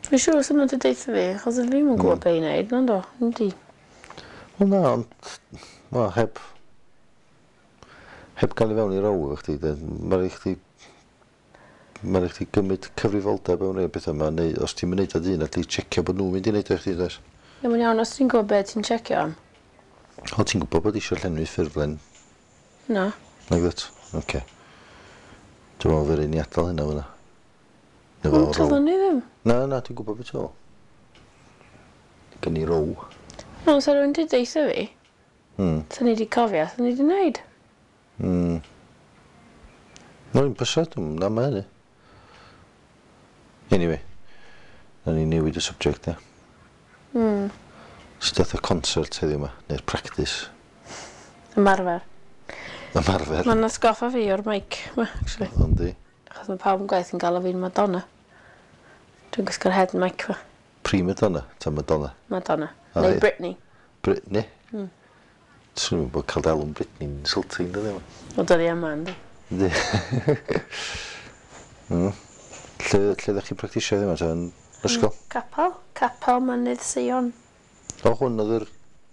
Fi'n siŵr os yna di deutha fi, achos fi ddim yn gwybod be i wneud, nando. Yndi. Wel na, ond wel, heb gael i fewn i row efo chdi, de, ma' rai' chdi ma' rai' chdi gymryd cyfrifoldeb am rei petha 'ma neu os ti'm yn neud o dy hun alli checio bod nw'n mynd i neud o i chdi does? Ie mae'n iawn os ti'n gwybod be ti'n checio am. O ti'n gwybod bod isio llenwi ffurflen? Na. Nagwyt? Oce. Dwi'n meddwl fe rai' ni adal hynna fynna. Neu Ond fel row. doeddwn ni ddim. Na, na, dwi'n gwybod beth ti'n Gen i row. No, sa rhywun di deutha fi. Sa ni di cofio, sa ni di wneud. No, un bysa, dwi'n na ma hynny. Anyway, na ni newid y subject, ia. Sut dath y concert heddiw 'ma, neu'r practice? Ymarfer. Ymarfer. Mae'n atgoffa fi o'r mic 'ma, actually. Yndi. Achos mae pawb yn gwaith yn galw fi'n Madonna. Dwi'n gwisgo'r head mic fa. Prima donna, ta Madonna? Madonna. O, Neu ie. Britney. Britney? Swn i'n bod cael dalw'n Britney'n insulting, dydi? O, dydi yma, yndi. Yndi. Lle ddech chi'n practisio heddiw 'ma, ta yn ysgol? Capel. Capel Mynydd Seion. O, hwn oedd yr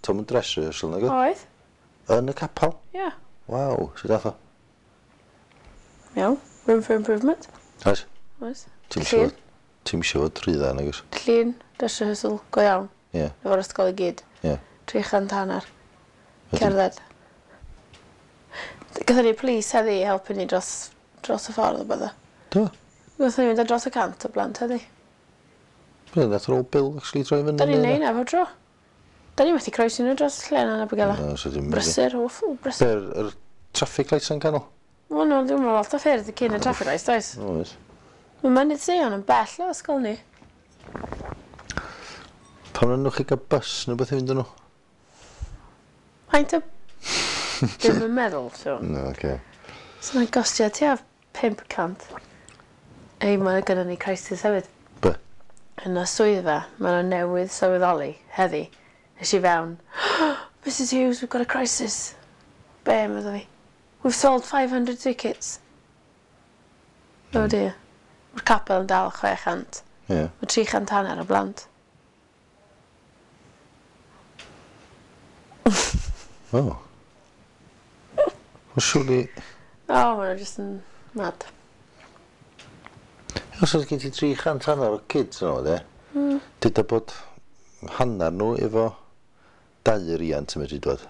Tom and Dress rehearsal, nag oedd? Oedd. Yn y capel? Ie. Waw, sut dath o? Iawn. Room for improvement. Oes? Oes. Ti'm Llun. isio fod, ti'm isio fod rhy dda, nag oes? Llun, dress rehearsal, go iawn. Ie. Efo'r ysgol i gyd. Ie. 350. Wedyn- Cerdded. Gathon ni police heddi i helpu ni dros y ffordd o bydda. Do? Gathon ni fynd ar dros 100 o blant heddi. Be, nath yr old Bill actually droi fyny? Da ni'n neud na fo dro. Da ni methu croesi nhw dros lle yna yn Abergele. Na, so dim... Brysur, awful, brysur. Be, yr traffic lights yn canol? Wel, no, dwi'n meddwl lot o ffyrdd cyn y traffic lights, does? Oes. Mae Mynydd Seion yn bell o ysgol ni. Pam na nwch chi gael bus neu beth i fynd yn nhw? Faint o... Dwi'm yn meddwl, so. No, oce. So mae'n gostio tua 500. Ei, mae gynnon ni crisis hefyd. Be? Yn y swyddfa, maen nhw newydd sylweddoli heddi. Nes i fewn, Mrs Hughes, we've got a crisis. Be, medda fi. We've sold 500 tickets. Oh dear. Mae'r capel yn dal 600. Ie. Mae 350 o blant. O. Wel, surely... O, oh, maen nhw just yn mad. Os oes gen ti 350 o kids yno, de? Dyda bod hanner nhw efo dau riant yn medru dod.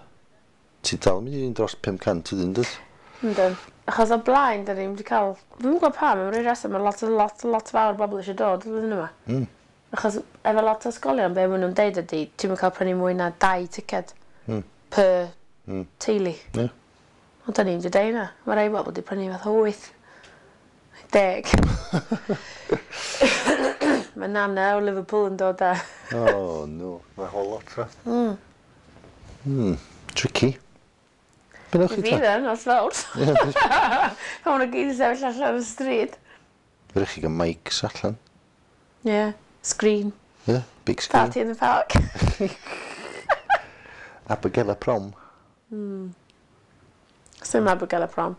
Ti dal yn mynd i fynd dros 500 ydyn, dwyt? Yndyn. Achos o blaen, da ni'n wedi cael... Dwi'm yn gwybod pam, am ryw reswm, mae lot, lot, lot fawr o bobl eisiau dod flwyddyn yma. Achos efo lot o ysgolion, be maen nhw'n deud ydy, ti'n mynd cael prynu mwy na 2 ticed per teulu. Ie. Ond da ni'n wedi deud yna. Mae rai bobl wedi prynu fath o 8. 10. Mae Nana o Liverpool yn dod â. Oh, no. Mae whole lot, ra. Tricky. Be newch chi Fi ta? dden, os fawr. Ie, Pan maen nhw gyd yn sefyll allan y stryd. Fe chi gael mics allan. Ie. Yeah. Screen. Ie, big screen. Party in the park. Abergele prom. Sim Abergele prom.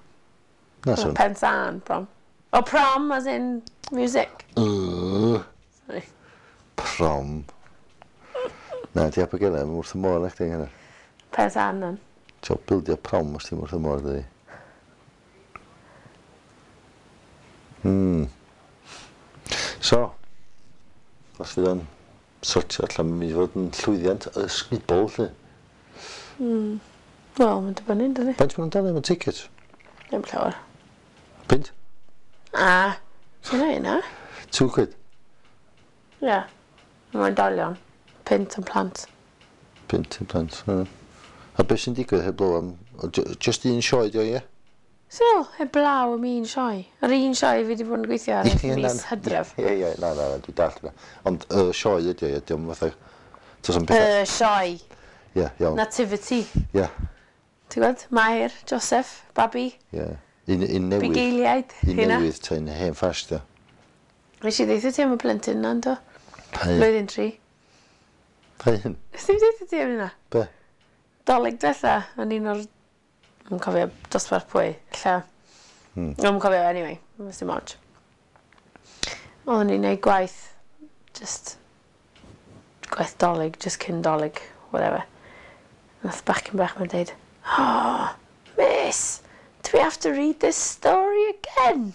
Na, so. Pensarn prom. Oh, prom as in music. Sorry. Prom. Na, di Abergele, mae'n wrth y môr na chdi hynny. Pensarn then. Ti'n bildio prom os ti'n wrth y môr, dydi. So, os fydd o'n sortio allan, mae'n mynd i fod yn llwyddiant ysgubol, lle. Wel, mae'n dibynnu, dydi? Faint maen nhw'n dalu am y ticket? Ddim llawer. Punt? A, sy'n ei na? 2 quid? Ie. Mae'n dalion. Punt yn plant. Punt yn plant, ie. A beth sy'n digwydd heblaw am... Just un sioe, di o, ie? So, heblaw am un sioe. Yr un sioe fi wedi bod yn gweithio ar ers mis Hydref. Ie, ie, na, na, na, dwi'n dallt hynna. Ond y sioe ydi o, ie, dio'm fatha... Does am pethau... Y sioe. Ie, iawn. Nativity. Ie, Ti'n gwybod? Mair, Joseph, babi, ie. Un newydd. bugeiliaid. Un Hynna. newydd, ta un hen ffash, di o. Nes i ddeutha ti am y plentyn na, yndo? Pa un? Blwyddyn 3. Pa un? Nes i'm ddeutha ti am hynna? Be? Dolig diwetha, yn un o'r... Dwi'n cofio dosbarth pwy, lle. Dwi'n cofio, anyway, dim ots. Oedden ni'n neud gwaith Just gwaith Dolig, just cyn Dolig, whatever. Nath bachgen bach ma'n deud, "Oh, miss, do we have to read this story again?"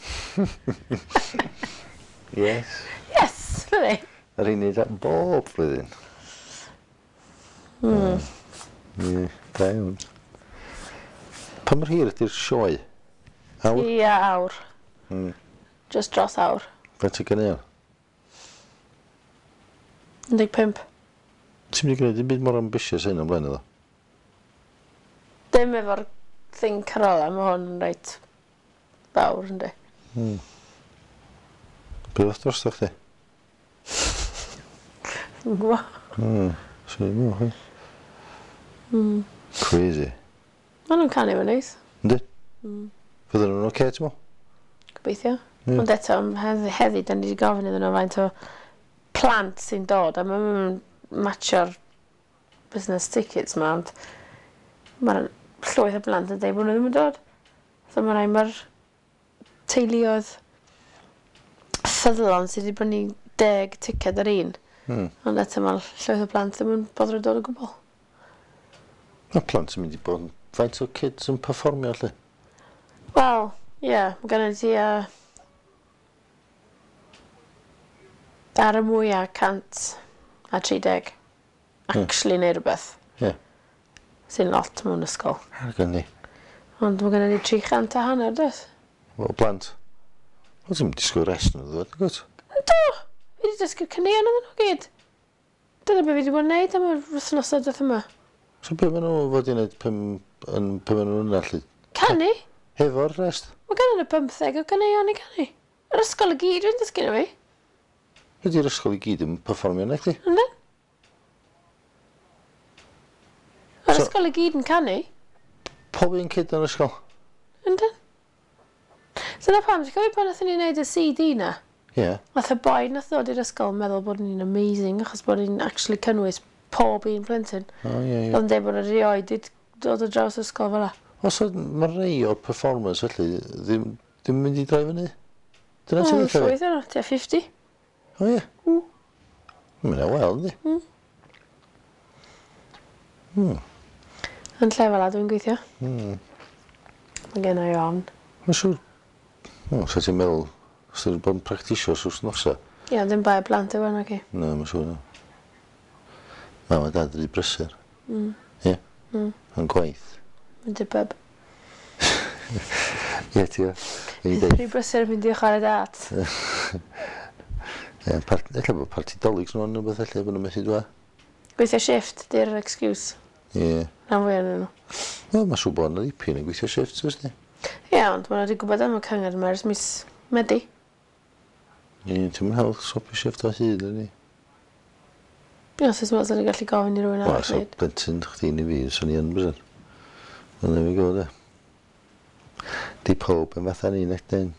Yes. "Yes," medda i. Yr un neud bob blwyddyn. Ie, da iawn. Pa mor hir ydy'r sioe? Awr? Ia, awr. Just dros awr. Faint o ganeuon? 15. Ti'n mynd i gwneud dim byd mor ambitious hyn o'n blaen iddo? Dim efo'r thing carola, mae hwn yn reit fawr, yndi. Be oedd drosto chdi? Dwi'n gwybod. Swn i'n meddwl, chdi. Crazy. Maen nhw'n canu fo'n neis. Yndi? Fydden nhw'n oce, ti'n meddwl? Gobeithio. Ond eto, heddi, da ni wedi gofyn iddyn nhw faint o plant sy'n dod, a maen nhw'n matcho'r business tickets ma, ond mae'r llwyth o blant yn dweud bod nhw ddim yn dod. So mae rai mae'r teuluoedd ffyddlon sydd wedi brynu 10 ticed ar un. Ond eto mae llwyth o plant ddim yn boddro dod o gwbl. Mae plant yn mynd i bod yn... Faint o kids yn perfformio, lle? Wel, ie, yeah, mae gen i tua ar y mwyaf 130 actually neud rhywbeth. Sy'n lot mewn ysgol. Ar gen ni. Ond mae gen i 350, does? Wel, plant. Wel, ti'n disgwyl rest nhw ddod, gwt? Do! Fi wedi dysgu'r caneuon iddyn nhw gyd. Dyna be fi wedi bod yn neud am yr wythnosau dwytha yma. So be maen nhw fod i wneud pan maen nhw'n yna, lle? Canu? Hefo'r rest? Mae gen nhw 15 o caneuon i canu. Yr ysgol i gyd dwi'n dysgu nhw fi. Ydy'r ysgol i gyd yn perfformio na chdi? Yndyn? Yr ysgol i gyd yn canu. Pob un kid yn yr ysgol? Yndyn? Dyna pam, ti'n cofio pan nathon ni wneud y CD na? Ie. Nath y boi nath ddod i'r ysgol yn meddwl bod ni'n amazing achos bod ni'n actually cynnwys pob un plentyn. O, ie. Oedd yn dweud bod erioed wedi dod o draws ysgol fel 'a. O, so mae rei o'r performers felly ddim yn mynd i droi fyny? Dyna ti'n O, dweud? llwyth o'n tua 50. O, ie. Mae'n wel, yndi? Yn lle fel 'a dwi'n gweithio. Mae gen i ofn. Mae'n siŵr. O, sa ti'n meddwl, os ti'n bod yn practisio wythnosa? Ie, ddim bai y plant yw hwnna, ci. Na, mae'n siŵr na. Mam a dad rhy brysur. Ie. Yn gwaith. Mynd i'r pub. Ie, ti o. Fi'n deud. Rhy brysur yn mynd i chwarae dart. Ie, ella bod parti Dolig nhw'n rhywbeth ella bod nhw'n methu dwa. Gweithio shift, di'r excuse. Ie. Rhan fwyaf ohonyn nhw. Wel, mae'n siŵr bod yna ddipyn yn gweithio shift, oes di? Ie, ond maen nhw wedi gwybod am y cyngor yma ers mis Medi. Ie, ti'n mynd hawdd swapio shift o hyd, ydy. Ie, os oes meddwl ni'n gallu gofyn i rywun Wel, arall so wneud. blentyn chdi neu fi, swn i yn bysen. Wel, there we go, de. Di pob yn fatha ni, nec dyn.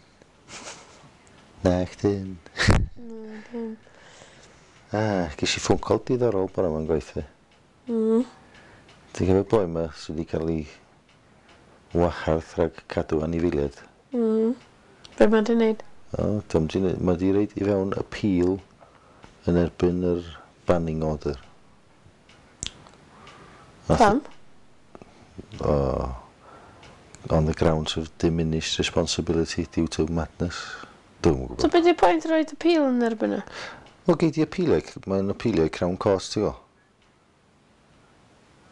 Na, chdi. Ah, ges i phone call diddorol bore yma'n gwaith fi. Ti'n cofio boi yma sydd wedi cael ei wahardd rhag cadw anifeiliaid? Be mae'n di wneud? O, dwi'm di neud, mae di roid i fewn appeal yn erbyn yr banning order. Pam? O, on the grounds of diminished responsibility due to madness. Dwi'm yn So gwybod. be di pwynt roed appeal yn erbyn nhw? Wel, gei di appealio, mae'n appealio i Crown Court, ti'n gwybod?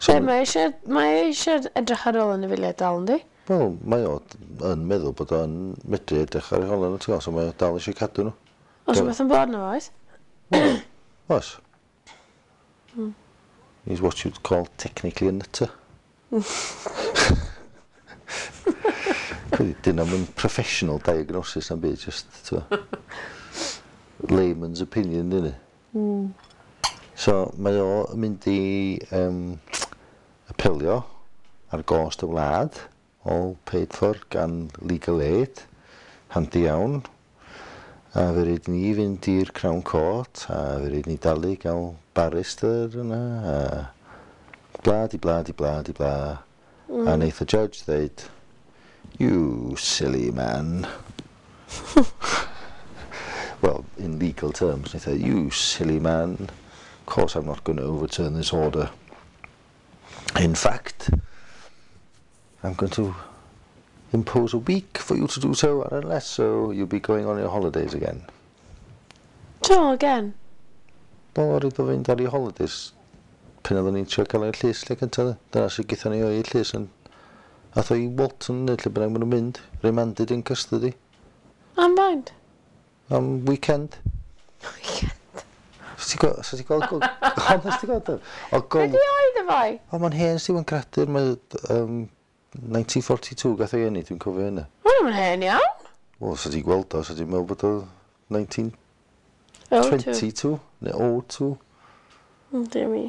So, mae eisiau edrych ar ôl anifeiliaid dal, yndi? Wel, mae o yn meddwl bod o'n medru edrych ar ei hôl nhw, ti'n gwybod, so mae o dal eisiau cadw nhw. Oes rhywbeth yn bod nhw, oes? Oes. He's what you'd call technically a nutter. Dyn nhw'n professional diagnosis na'n byd, just, ti'n layman's opinion, dyn ni. So, mae o yn mynd i apelio ar gost y wlad, all paid for gan Legal Aid, handi iawn. A fe rhaid ni fynd i'r Crown Court, a fe rhaid ni dalu gael barrister yna, a bla di bla di bla di bla. A wneith y judge ddeud, "You silly man. Well, in legal terms. And he said, "You silly man, of course I'm not going to overturn this order. In fact, I'm going to impose a week for you to do so, and unless so, you'll be going on your holidays again." So, again. Wel, oedd o fynd ar ei holidays pan oedden ni'n trio cael ei'r llys lle cyntaf. Dyna sy'n gyda ni o'i llys yn... Ath o i Walton neu lle bynnag maen nhw'n mynd. Remanded in custody. Am faint? Am weekend. Weekend. So ti'n gweld... So ti'n gweld... Honest ti'n gweld? O Be gol... di oed y foi? O, mae'n hen sy'n credu'r... Mae... 1942 gath o'i eni, dwi'n cofio hynna. Mae'n hen iawn. Wel, so ti'n gweld o, so ti'n meddwl bod o 1922 neu 02. Dear me.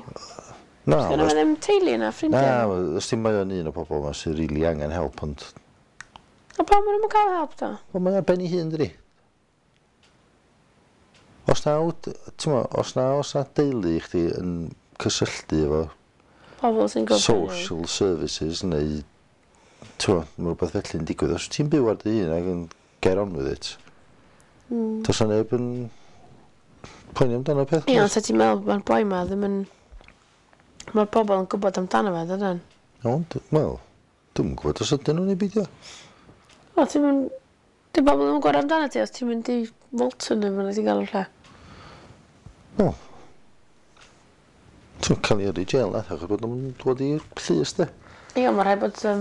Na, Gynna fe ddim teulu na Na, ffrindiau. os ti'n mae o'n un o bobl yma sy'n rili angen help, ond... A pam maen nhw'n cael help ta? Wel, mae ar ben ei hun, dydi? Os na, ti'n mo, os na deulu i chdi yn cysylltu efo Pobl sy'n gwybod. social services neu, ti'n mo, mae rhywbeth felly'n digwydd. Os ti'n byw ar dy hun ac yn get on with it, does na neb yn poeni amdano peth. Ie, ond sa ti'n meddwl mae'r boi ma ddim yn... Mae'r pobl yn gwybod amdano fe, dydyn? Ond, wel, dwi'm yn gwybod os ydyn nhw'n ei beidio. O, ti'n mynd... Di bobl ddim yn gwybod amdano ti os ti'n mynd i Walton neu fyna ti'n gael o'r lle. Wel, ti'n cael ei yrru i jail na, achos bod nhw'n dod i'r llys, de. Ie, ond mae rhaid bod... Dwi'm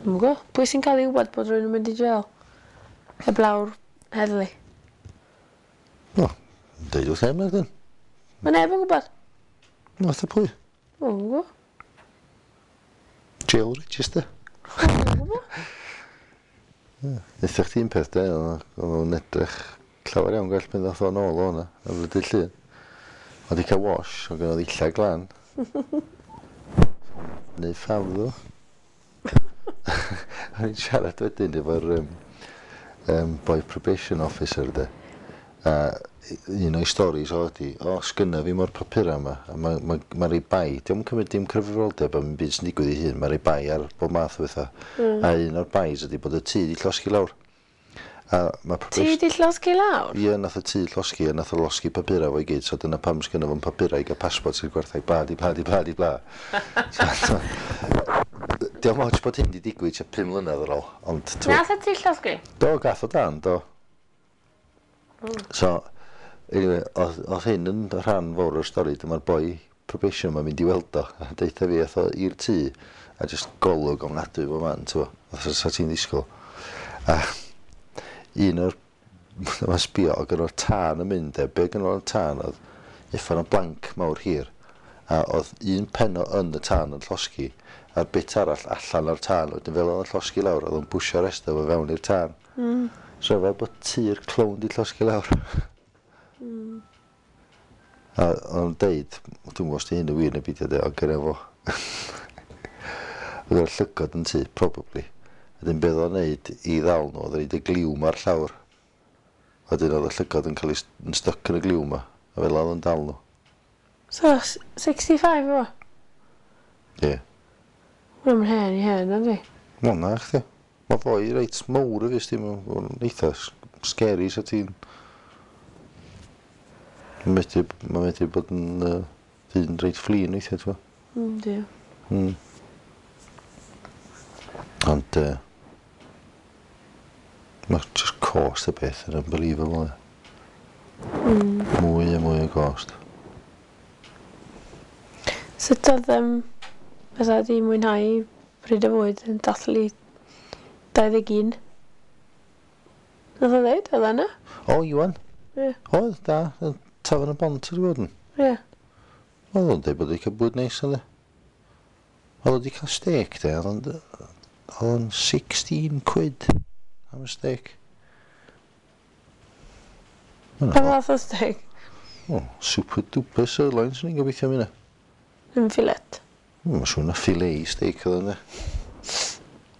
yn gwybod. Pwy sy'n cael ei wybod bod rhywun yn mynd i jail? Heblaw'r heddlu. Wel, deud wrth neb na, dyn. Mae neb yn gwybod. Nath y pwy? Dwi'm yn gwybod. Jail register. Dwi'm yn gwybod. Neitha chdi un peth de, oedd o'n edrych llawer iawn gwell pan ddath o'n ôl o hwnna, ar y dydd Llun. Oedd i cael wash, oedd gynno ddillad glân. Neu ffaf ddo. O'n i'n siarad wedyn efo'r boy probation officer de. A un o'i storis o ydi, o, sgynna fi mo'r papura yma, a mae ma, ma rei bai, dio'm yn cymryd dim cyfrifoldeb am byd sy'n digwydd i hun, mae rei bai ar bob math o bethau. A un o'r bais ydi bod y tŷ di llosgi lawr. A mae Ti probation... di llosgi lawr? Ie, nath y tŷ llosgi, a nath o losgi papura fo i gyd, so dyna pam sgynna fo'n papura i gael passport sy'n gwerthau bla di bla di bla di bla. So, dio'm ots bod hyn di digwydd tua 5 mlynedd ar ôl, ond... Nath y ti llosgi? Do, gath o dan, do. So, anyway, oedd hyn yn rhan fawr o'r stori, dyma'r boi probation ma'n mynd i weld o, a deutha fi, ath o i'r tŷ, a just golwg ofnadwy bob man, ti'n bo, fatha sa ti'n ddisgwyl. A un o'r, mae'n sbio, oedd gyda'r tân yn mynd, e, be gyda'r tân oedd uffern o blank mawr hir, a oedd un pen o yn y tân yn llosgi, a'r bit arall allan o'r tân, wedyn fel oedd o'n llosgi lawr, oedd o'n bwsio'r rest o fo fewn i'r tân. So fel bod tŷ'r clown di llosgi lawr. A o'n deud, dwi'n gwybod os di hyn yn wir neu beidio de, ond gyda fo. Oedd o'r llygod yn tŷ, probably. A dyn beth o'n neud i ddal nhw, oedd o'n neud y gliw ma'r llawr. Wedyn oedd y llygod yn cael ei yn stuck yn y gliw ma, a fel oedd o'n dal nhw. So, 65 o? Ie. Yeah. Mae'n hen i hen, yndi? Wel na, chdi. Mae foi reit mawr y fys, mae'n eitha scary, so ti'n... Mae'n medru bod yn ddyn reit flin weithiau, ti'n gwbod? Yndi. Ond, mae just cost y beth yn unbelievable. Mwy a mwy o cost. Sut oedd fysa di mwynhau pryd o fwyd yn dathlu 21? Nath o ddeud, oedd yna? O, Iwan? Ie. Oedd, da. Yn Tafarn y Bont wedi bod yn. Ie. Oedd o'n deud bod wedi cael bwyd neis oedd e. Oedd o wedi cael steak de, oedd o'n 16 quid am y steak. Pa fath o steak? O, super duper sirloin, swn i'n gobeithio am hynna. Ddim fillet. Mae'n siŵr na filet steak oedd yna.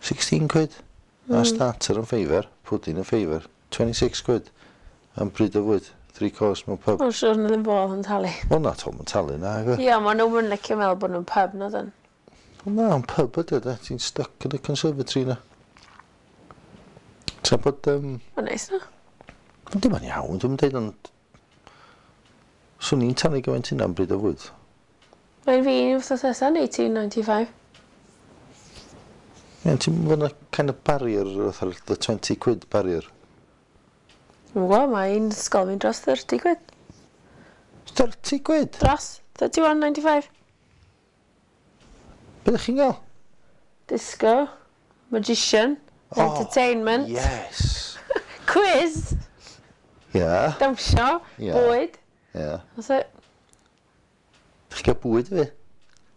16 quid. A starter yn ffeifr, pudding yn ffeifr. 26 quid. Am bryd o fwyd. 3 course mewn pub. Mae'n siŵr na ddim bobl yn talu. Wel na, Tom yn talu na, agwe. Ie, ma nhw'n yn licio meddwl bod nhw'n pub, na dyn. Wel na, ond pub ydy o, de. Ti'n stuck yn y conservatory na. Tra bod, Mae'n neis na. Yndi, mae'n iawn, dwi'n dweud, ond swn i'n talu gymaint hynna am bryd o fwyd. Mae'n fi un wythnos nesaf yn 1895. Ie, ti'n fod yna kind of barrier, fatha the 20 quid barrier. Dwi'n gwybod, mae un ysgol fi'n dros 30 quid. 30 quid? Dros, 31.95. Be ydych chi'n gael? Disco, magician, Oh, entertainment, Yes. quiz, Ia. dawnsio, Ie. bwyd. Ia. That's it. Ydych chi'n cael bwyd fi?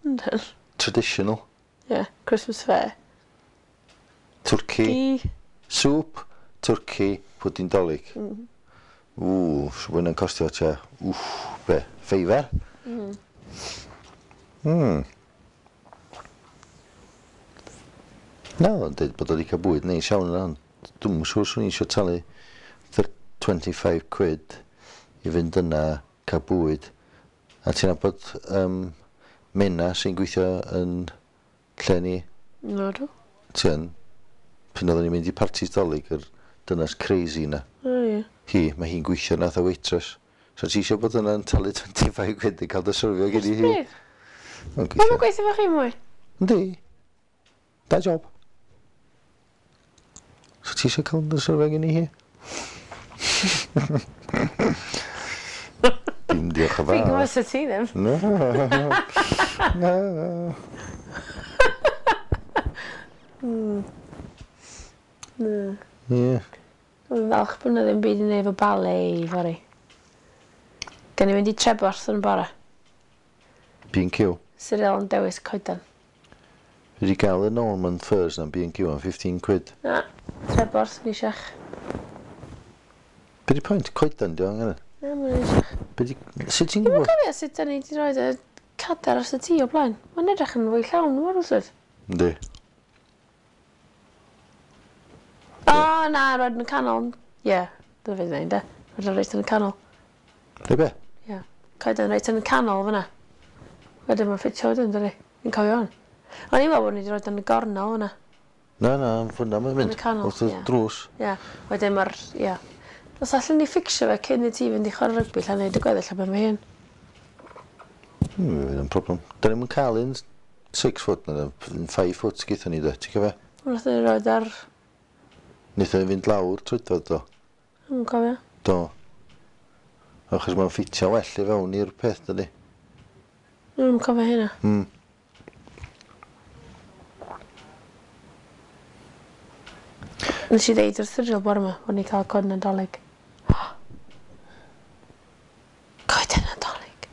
Yndyn. Traditional. Yeah, Christmas fair. Turkey. Gi. Soup, turkey, pwdin dolig. Ww, so hwnna'n costio tua, wff, be, fiver? Mm. Na, o'n dweud bod o wedi cael bwyd neis iawn yna, ond dwi'm yn siŵr swn i eisiau talu 25 quid i fynd yna cael bwyd. A ti'n nabod Mena sy'n gweithio yn lle ni, No, do. ti yn, pan oedden ni'n mynd i partis Dolig, yr dynas crazy na. O, ie. Hi, mae hi'n gweithio na fatha waitress. So ti eisiau bod yna'n talu 25 quid i cael dy syrfio gen i hi? Pryd? Mae'n Mae'n gweithio. gweithio fo chi mwy? Yndi. Da job. So ti eisiau cael dy syrfio gen i hi? Dim diolch yn Fi'n fawr. gwybod sut ti ddim. Na. Na. Na. Ie. Dwi'n falch bod yna ddim byd i wneud efo ballet i fory. Gan i fynd i Treborth yn y bore. B&Q. Cyril yn dewis coedan. Fi wedi gael y Norman Furs na'n B&Q am 15 quid. Na, Treborth, ni siach. Be di pwynt? Coedan di o angen? Na, mae'n siach. Be di... Sut ti'n Dwi'n gwybod? cofio sut da ni wedi rhoi y cadar os y tŷ o blaen. Mae'n edrych yn fwy llawn, mor wrthyd. Yndi. O, na, roed yn y canol. Ie, yeah, dyna fe ddweud, de. Roed yn reit yn y canol. Rei be? Ie. Yeah. Coedan reit yn y canol fyna. Wedyn mae'n ffitio wedyn, dydi? Fi'n cofio hwn. O'n i'n meddwl bod ni wedi rhoi yn y gornel fyna. Na, na, fyna mae'n mynd. Yn y canol, Wrth y ie. drws. Ie. Yeah. Wedyn mae'r, ie. Yeah. Os allan ni fficsio fe cyn i ti fynd i chwarae rygbi, lla'n neud y gweddill am ben fy hun. Fydd yn problem. Da ni'm yn cael un 6 foot na, un 5 foot gyda ni de, ti'n cofio? Wnaethon ni roed ar... Wnaethon ni fynd lawr troedfedd do. Dwi'n cofio. Do. Achos mae'n ffitio well i fewn i'r peth, dydi? Dwi'n cofio hynna. Nes i ddeud wrth Cyril bore yma bod ni'n cael coed Nadolig. Coed Nadolig.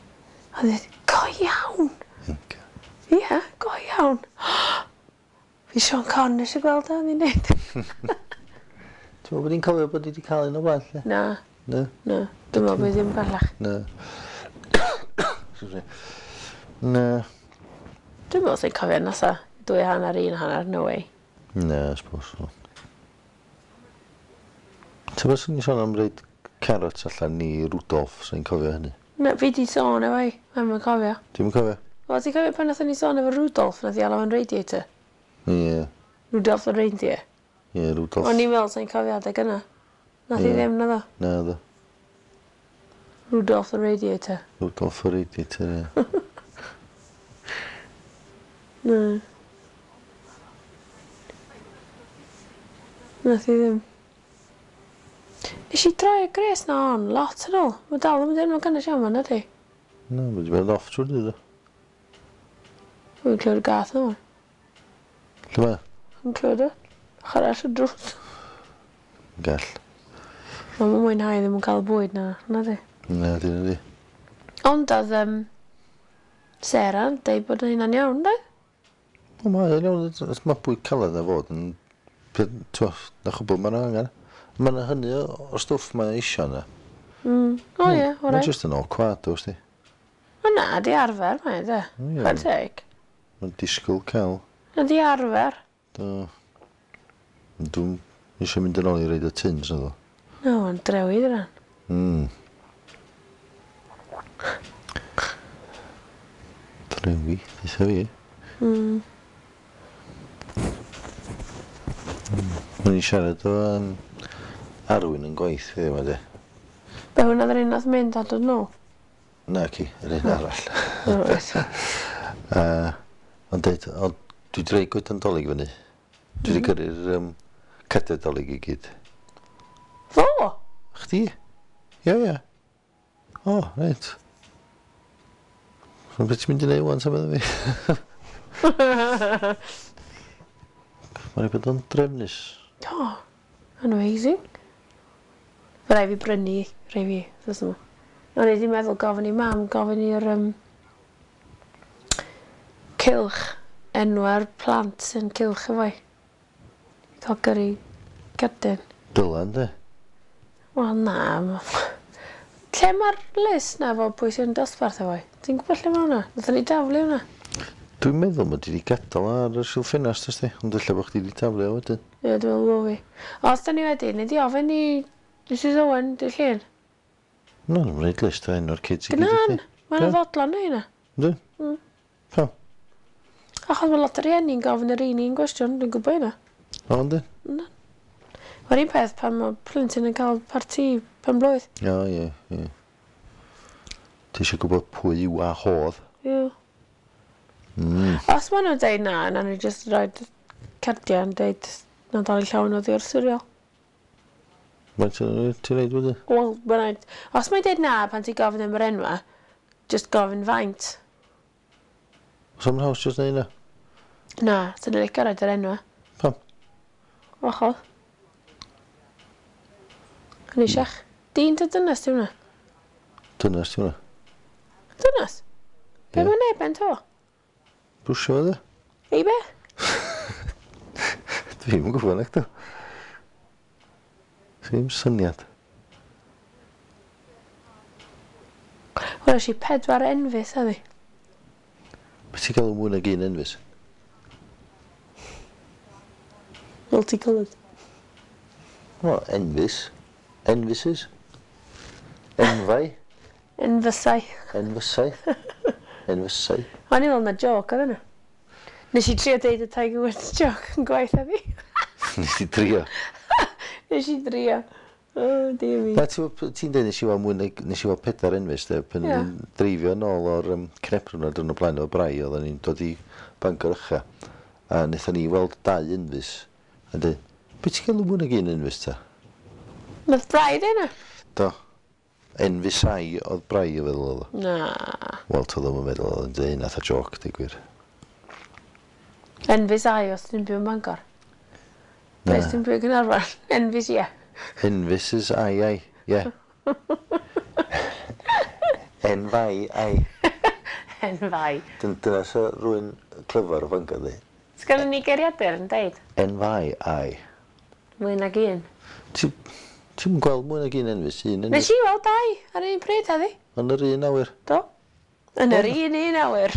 A dweud, go iawn. Ocê. Ie, go iawn. Fi Sean Conn eisiau gweld o, ni'n neud. Ti'n meddwl bod ni'n cofio bod ni wedi cael un o blaen, lle? Na, Na, na. Dwi'n meddwl bod ddim bellach. na. Excuse me. Na. Dwi'n meddwl sy'n cofio nasa. 2.5, 1.5, no way. Na, I suppose so. Ti'n meddwl swn i'n sôn am reid carrots allan i Rudolph, sy'n cofio hynny? Na, fi di sôn efo i. Mae'n mynd cofio. Ti'n cofio? Wel, ti'n cofio pan nathon ni sôn efo Rudolph, nath i alw yn radiator? Ie, Rudolph the reindeer. ie, Rudolph. O'n i'n meddwl sy'n cofio adeg yna. Nath i Ie. ddim, naddo. Na, ddo. Rudolph the radiator. Rudolph the radiator, ie. Na. Nath i ddim. Nes i droi y gres na on lot yn ôl. Mae dal yn mynd yn gynnes iawn fan, ydy. Na, mae wedi bod off trwy'r dydd, do. Dwi'n clywed y gath yma. Lle mae? Dwi'n clywed o. Ochr arall y drws. Gall. Mae'n mwynhau ddim yn cael y bwyd na, na di. Na, dyn nhw di. Ond oedd Sarah yn deud bod hynna'n iawn, de? O, mae yn iawn, mae bwyd caled na fod yn... T'wo, na chwbl mae'n angen. Mae yna hynny o stwff mae'n isio yna. O ie, Mae'n orau. just yn awkward, oes di. O na, di arfer, mae, de. Ie. Chwarae teg. Mae'n disgwyl cael. Na, di arfer. Do. Dwi'n eisiau mynd yn ôl i reid y tins na ddo. No, mae'n drewi dyna. Drewi, eitha fi. O'n i'n siarad o Arwyn yn gwaith fi yma de. Be hwnna oedd yr un nath mynd a dod nôl? Naci, yr un arall. O, reit. Ond deud, ond dwi 'di roi goedan Dolig fyny. Dwi 'di gyrru'r cardiau Dolig i gyd. Fo? Chdi? Ie, ie. O, reit. So beth ti'n mynd i neud wan ta medda fi? Mae'n rhaid bod o'n drefnus. Do. Amazing. Fe rai fi brynu rhai fi wthnos yma. O'n i 'di meddwl gofyn i mam gofyn i'r cylch enwa'r plant sy'n cylch efo i. Ca'l gyrru cerdyn. Dyla ynde? Wel na lle ma'r list 'na efo pwy sy'n dosbarth efo i? Ti'n gwbod lle ma' wnna? Nathon ni daflu wnna. Dwi'n meddwl mod i 'di gadal o ar y silff ffenast wsti, ond ella bo' chdi 'di taflu o wedyn. Ie dwi meddwl bo' fi. Os 'dan ni wedi, nei di ofyn i Mrs Owen dy' Llun? Na, dwi'm roid list o enw'r kids i gyd i Gnan! chdi. Ma' 'na fodlon neu' 'na. Yndyn? Pam? Achos ma' lot o rieni'n gofyn yr un un gwestiwn, dwi'n gwbo hynna. O yndyn? Yndan. Ma'r un peth pan ma' plentyn yn ca'l parti pen-blwydd. O ie, ie. Ti isio gwbod pwy yw a hodd. Ie. Os ma' nw'n deud na, nawn ni jyst roid cardia yn deud Nadolig llawen oddi wrth Siriol. Faint o ti'n reid wedyn? Wel, ma' raid... Os mae'n deud na pan ti'n gofyn am yr enwa, jyst gofyn faint. Os am haws jyst neud 'na? Na, swn i'n licio roid yr enwa. Pam? Wahodd. Yn eisiach. Dyn ta dynas di hwnna? Dynas di hwnna. Dynas? Be Ie. mae'n neud ben to? Brwsio fo de? Ei be? Dwi'm yn gwybod nacdw. Sdim syniad. Weles i pedwar enfys heddi. Be ti'n galw mwy nag un enfys? Multicoloured. Wel, enfys. Enfuses. Enfau. Enfysau. Enfysau. Enfysau. O'n i'n meddwl na joke oedd yna. Nes i trio deud y Tiger Woods joke yn gwaith heddi. Nes i drio. Nes i drio. Oh, dear me. Na, ti'n dweud nes i weld mwy nag, nes i weld pedair enfys, de, pan Ie. o'n i'n dreifio nôl o'r Cnebrwn ar dwrnod blaen o'r Brai, oedden ni'n dod i Bangor Ucha, a wnaethon ni weld dau enfys, a dweud, be ti'n galw mwy nag un enfys ta? Nath Brai ddeud 'na? Do. Enfysau oedd Brai o feddwl oedd o. Na. Wel, to ddim yn meddwl oedd yn dweud nath o joc, deud gwir. Enfysau os ti'n byw yn Bangor. Na. Be os ti'n byw yn Caernarfon? Enfys ie. Enfuses ai ai, ie. Enfai ai. Enfai. Dyna sa rhywun clyfar o Fangor ddi. Sgynnon ni geiriadur yn deud? Enfai ai. Mwy nag un. Ti'n gweld mwy nag un enfys? Un enfys. Nes i weld dau ar un pryd heddi. Yn yr un awyr. Do. Yn yr un un awyr.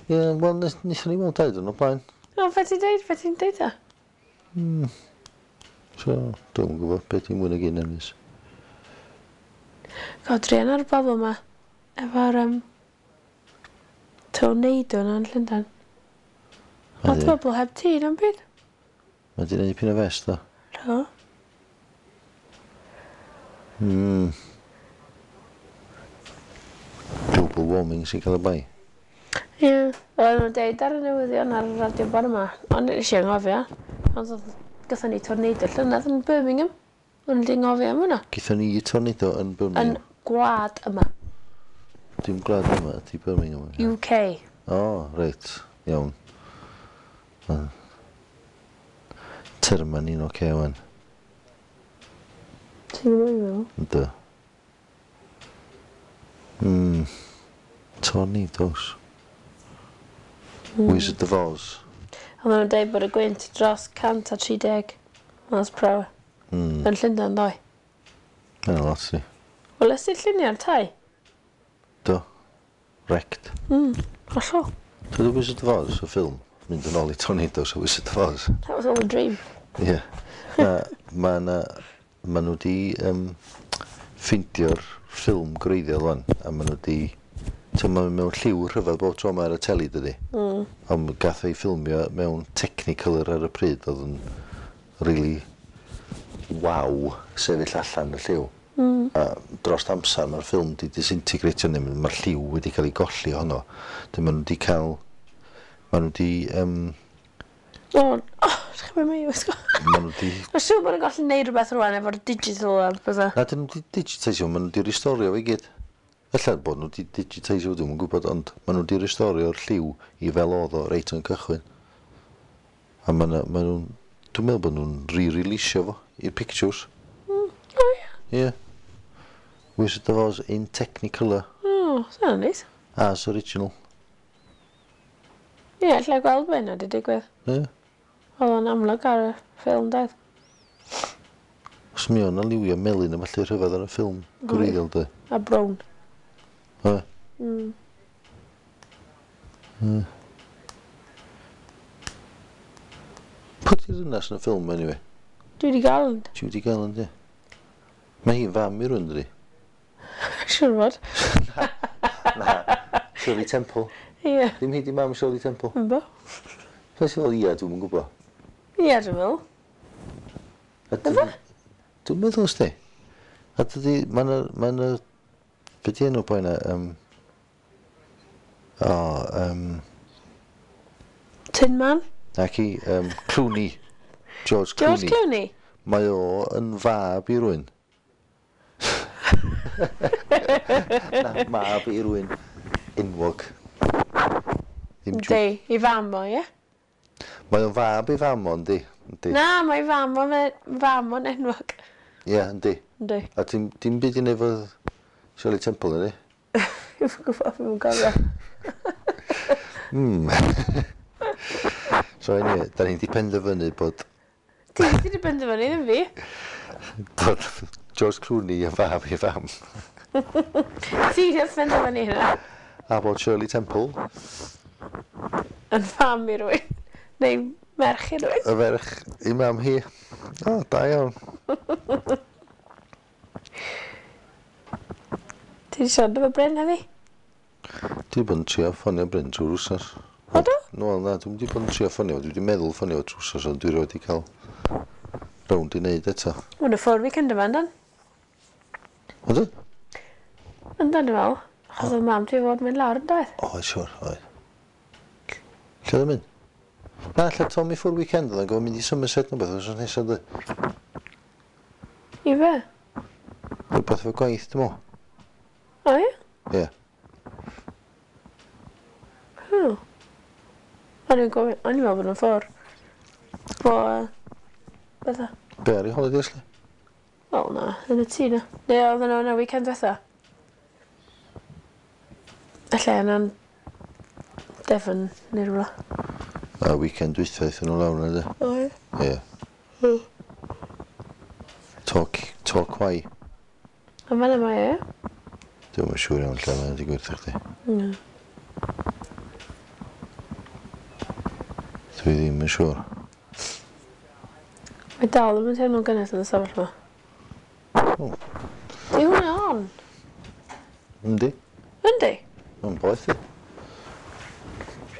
Ie, wel, nethon ni weld dau dwrnod o blaen. O, be ti'n deud? Be ti'n deud ta? So, dwi'm yn gwybod beth di mwy nag un enfys. God, druan ar y bobl yma. Efo'r tornado yna yn Llundain. Lot o bobl heb tŷ na'm byd. Mae di neud pyn o fest, do. Do. Global warming sy'n cael y bai. Ie. Oedden nhw'n deud ar y newyddion ar y radio bore yma. Ond nes i anghofio. Ond gathon ni tornado llynedd yn Birmingham. O'n i 'di anghofio am hwnna. Gaethon ni tornado yn Birmingham? Yn gwlad yma. Dim gwlad yma, ydi Birmingham. UK. O, reit. Iawn. Terma ni'n oce wan. Ti'n gwybod beth dwi'n feddwl? Yndw. Tornadoes. Wizard of Oz. Oedden nhw'n deud bod y gwynt dros 130 miles per hour. Yn Llundain ddoe. Mae'n lot ni. Wel, ys ti'r lluniau ar tai? Do. Wrecked. Hollol. Dwi Wizard of Oz, y ffilm, mynd yn ôl i Tornadoes o Wizard of Oz. That was all a dream. Ie. Na, ma' na, ma' nhw di ffeindio'r ffilm gwreiddiol wan, a ma' nhw di, t'mo' ma' mewn lliw rhyfedd bob tro ma' ar y teli, dydi? Ond gath ei ffilmio mewn Technicolor ar y pryd, oedd yn really waw sefyll allan y lliw. A dros amser mae'r ffilm 'di disintegratio neu mae'r lliw wedi cael ei golli ohono. Dyn maen nhw wedi cael... Maen nhw wedi... O, oh, ydych chi'n mynd i wisgo. Maen nhw wedi... Mae'n siŵr bod nhw'n gallu neud rhywbeth rwan efo'r digital a bethau. Na, dyn nhw wedi digitisio, maen nhw wedi restorio fe i gyd. Ella bod nhw wedi digitisio, dwi'm yn gwybod, ond maen nhw wedi restorio'r lliw i fel oedd o reit yn cychwyn. A maen nhw'n... Dwi'n meddwl bod nhw'n re-releasio fo i'r pictures. O ie. Ie. Yeah. Wizard of Oz in Technicolor. O, sy'n neis. As original. Ie, yeah, allai gweld be yna wedi digwydd. Ie. Yeah. Oedd o'n amlwg ar y ffilm, doedd. Os mi o'n liwio melyn a falle rhyfedd ar y ffilm gwreiddiol, de. A brown. Oe. Pwy di'r ddynas yn y ffilm, anyway? Judy Garland. Judy Garland, ie. Mae hi'n fam i rywun, dydi? Siŵr fod. Na. Shirley Temple. Ie. Ddim hi di mam Shirley Temple. Ynddo. Fe sy'n fel ia, dwi'm yn gwybod. Ie, dwi'n meddwl. Ife? Dwi'n meddwl, sti. A dydi, mae'n y... Be di enw boi na? Tin Man? Naci, Clooney. George Clooney. George Clooney? Mae o yn fab i rywun. Na, mab i rywun enwog. Yndi, i fam o, ie? Mae o'n fab i fam o, yndi. Na, mae fam o'n fam o'n enwog. Ie, yndi. Yndi. A dim byd i wneud efo Shirley Temple, yndi? Dwi'm yn gwybod, dwi'm yn cofio. So anyway, da ni 'di penderfynu bod... Ti 'di penderfynu, ddim fi. Bod George Clooney yn fab i fam. Ti 'di penderfynu hynna. A bod Shirley Temple... Yn fam i rywun. Neu merch i rywun. Y ferch i mam hi. O, da iawn. Ti 'di siarad efo Bryn heddi? Dwi 'di bod yn trio ffonio Bryn trwy'r wsos. O do? No, na, dwi'm 'di bod yn trio ffonio, dwi 'di meddwl ffonio fo trwy'r wsos, ond dwi rioed 'di cael rownd i wneud eto. Ma' nhw ffwrdd weekend yma, yndan? Ydyn? Yndan, dwi'n meddwl. Achos oedd mam ti fod mynd lawr yn doedd? Oedd, siwr, oedd. Lle oedd yn mynd? Na, lle Tom i ffwrdd weekend oedd yn gofyn mynd i Somerset neu beth, wythnos nesaf, dwi. I fe? Rhywbeth efo gwaith, dwi'n meddwl. O ie? Ie. O. O'n i'n gofyn, o'n i'n meddwl bod nhw'n ffwrdd. Bo, bydda. Be ar ei holidays, le? Wel na, yn y tŷ na. Neu oedden nhw yna weekend diwetha. Ella yna'n Devon neu rhywle. A weekend dwytha aethon nhw lawr yna, de? O ie? Ie. Torquay. A fan'na mae e? Dwi'm yn siŵr iawn lle mae'n digwydd i chdi. Na. Dwi ddim yn siŵr. Mae dal ddim yn teimlo'n gynnes yn y stafell yma. O. Di hwnna on? Yndi. Yndi? Mae'n boeth i.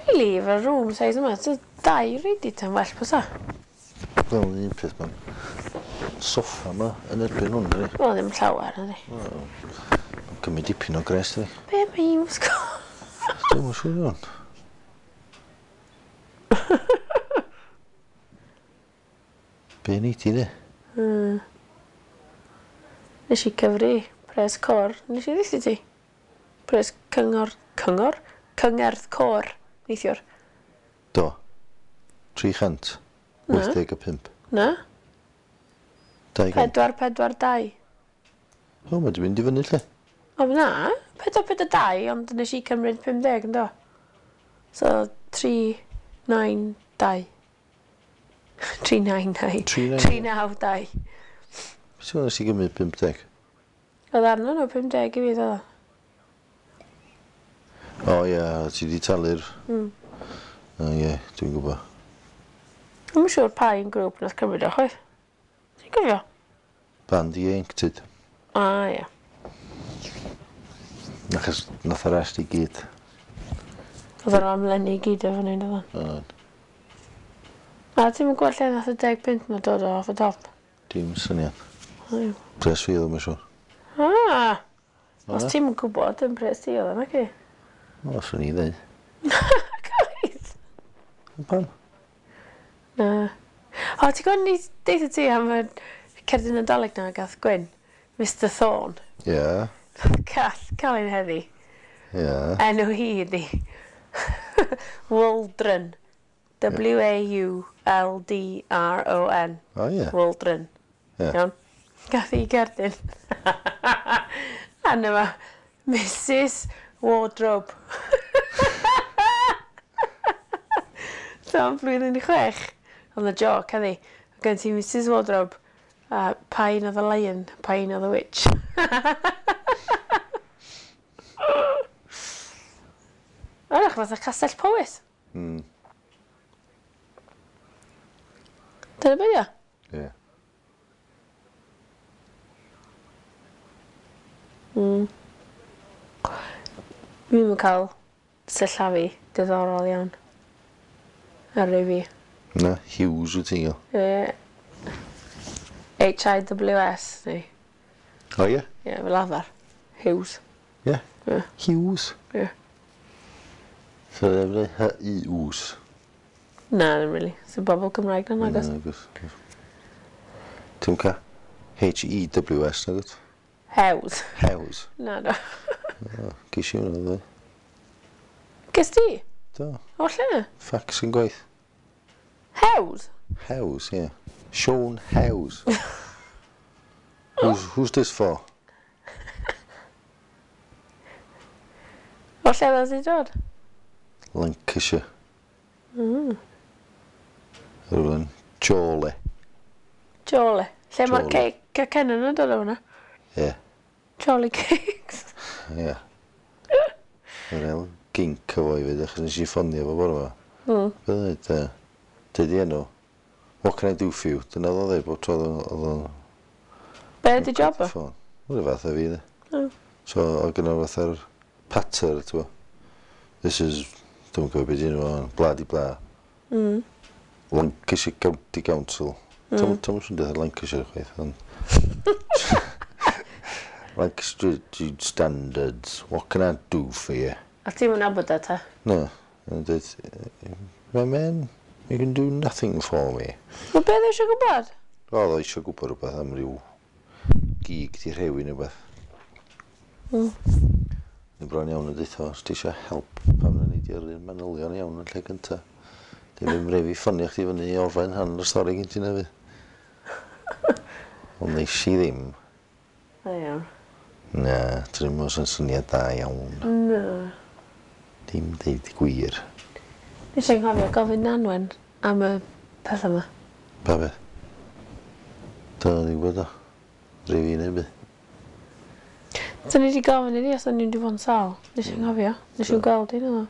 Really, efo'r room size yma, so dau radiator yn well bysa. Fel un peth mae'n soffa yma yn erbyn hwn, dydi? Wel, ddim llawer, nadi. Mae'n cymryd dipyn o gres, dydi? Be mae hi'n wisgo? Dwi'm yn siŵr iawn. Be nei di de? Nes i cyfri pres cor. Nes i ddweud ti? Pres cyngor... Cyngor? Cyngerdd côr. Neithiwr. Do. 385. Na. 200. 4, 4, 2. O, mae di mynd i fyny lle. O, na. 4, 4, 2, ond nes i cymryd 50 yn do. So, 3, 9, 2. 3, 9, 9. 3, 9, 2. Beth yw'n nes i gymryd 50? Oedd arno nhw 50 i fi, ddo. O ie, ti di talu'r... O ie, dwi'n gwybod. Dwi'm yn siŵr pa un grŵp nath cymryd o chwaith. Ti'n cofio? Band Ieuenctid. A ie. Achos nath y rest i gyd. Oedd yr amlenni i gyd efo ni, doedd? Oedd. A ti'm yn gweld lle nath y 10 punt 'ma dod o off y top? Dim syniad. O ie. Pres fi oedd o, mae'n siŵr. Os ti'm yn gwybod, dim pres ti oedd o, naci? O, swn i ddeud. Coedd! Pam? Na. O, ti'n gwybod ni deitha ti am y cerdyn Nadolig na gath Gwyn? Mr Thorne. Ie. Yeah. Cath, cael ein heddi. Ie. Yeah. Enw hi ydi Waldron. W-A-U-L-D-R-O-N. O ie. Waldron. Ie. Iawn. Gath hi gerdyn. A yma, Mrs Wardrobe. So, am blwyddyn i 6, oedd y joc, heddi. Oedd gen ti Mrs Wardrobe, a pa un oedd y lion, pa un oedd y witch. Oerach fatha Castell Powys. Dyna be' 'di o? Ie. Dwi'm yn cael sillafu diddorol iawn. Ar rei fi. Na, Hughes wyt ti'n gael. Ie. H-I-W-S neu. O ie? Ie, fel arfer. Hughes. Ie. Ie. Hughes. Ie. So ddim yn H-I-W-S. Na, ddim really. Sy'n bobl Cymraeg na nagos. Nagos. Ti'n ca? H-E-W-S nagos? Hews. Hews. Na, do. Ges i hwnna ddoe. Ges ti? Do. O lle? Ffacs yn gwaith. Hews? Hews, ie. Siôn Hews. Who's this for? O lle ddas i dod? Lancashire. Rhywun Chorley. Chorley. Lle mae'r Chorley. cacennau yn dod o hwnna? Ie. Chorley cakes. Ie. Yr el gink o fo i fyd, achos nes i ffonio fo bore 'ma. Be dweud, deud i enw. What can I do for you? Dyna oedd o'n dweud bob tro oedd o'n Be ydi job o? ffôn. Rhyw fath o fi, de. O. So, oedd gynno fatha'r patter, ti'n bo. This is, dwi'n gwybod beth ydyn nhw, bla di bla. Lancashire County Council. Tom sy'n dweud Lancashire chwaith, ond... Lancashire Standards, what can I do for you? A ti'n mynd nabod e ta? No, yn dweud, my man, you can do nothing for me. Wel, be oedd eisiau gwybod? Oedd o eisiau gwybod rhywbeth am ryw gig di rhewi neu rhywbeth. Ni bron iawn yn deutha, os ti eisiau help, pam na ni di yrru'r manylion iawn yn lle gynta. Dim yn rhaid fi ffonio chdi fyny i orffen rhan o'r stori gen ti na fi. Ond nes i ddim. Da iawn. Na, dwi'n meddwl sy'n syniad da iawn. Na. Dim deud gwir. Nes i'n cofio gofyn Nanwen am y peth yma. Pa beth? Do, ni'n gwybod o. Rhaid fi neu beth. So ni wedi gofyn iddi os o'n i'n wedi bod yn sâl. Nes i'n cofio. Nes i'n gweld un o.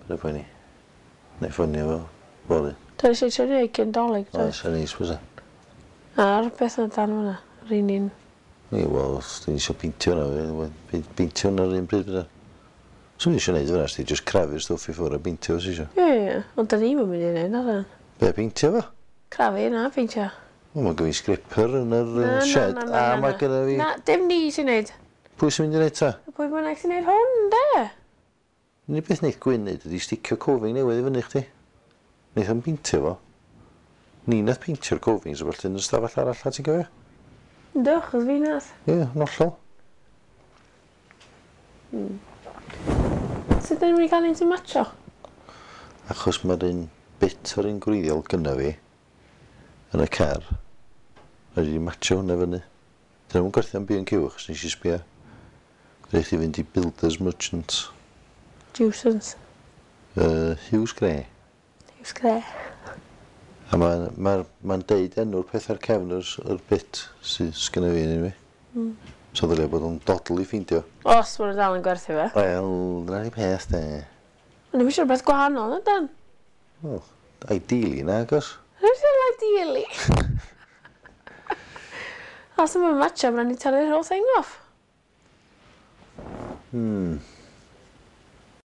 Paid â poeni. Neu ffonio fo fory. Do, nes i trio neud cyn Dolig, do. Oes, a neis fysa. A'r beth yna dan fyna. Yr un un. Ie, wel, os ti'n eisiau peintio hwnna, peintio hwnna yr un bryd fysa. Swn i eisiau neud fyna, os ti jyst crafu'r stwff i ffwrdd a peintio os eisiau. Ie, ie, ond da ni'm yn mynd i neud, na dan. Be, peintio fo? Crafu na, peintio. Wel, mae gen fi scripper yn yr Na, na, shed, na, a na, na, mae na. gynna fi... Na, dim ni sy'n neud. Pwy sy'n mynd i neud ta? Pwy bynnag sy'n neud hwn, de? Unig beth wneith Gwyn neud ydi sticio cofing newydd i fyny chdi. Wneith o'm peintio fo. Ni nath peintio'r cofings o felly yn y stafell arall, a ti'n cofio? Yndw, achos fi nath. Ie, yn hollol. Sut da ni'n mynd i gael un sy'n matcho? Achos mae'r un bit o'r un gwreiddiol gynna fi yn y car. Rhaid i fi matcho hwnna fyny. Dyn nhw'n gwerthu am B&Q achos nes i sbio. Rhaid chi fynd i Builders Merchant. Jewsons. Hughes Grey. Hughes Grey. A mae'n ma, ma deud enw'r peth ar cefn yr bit sydd sgynna fi yn fi. So ddylia bod o'n dodl i ffeindio. Os maen nhw dal yn gwerthu fe. Wel, dyna ni peth de. Ond ddim eisiau rhywbeth gwahanol, na dan? Wel, ideally na, agos. Rwy'n fel ideally. Os yma'n matcho, mae'n ni talu'r whole thing off.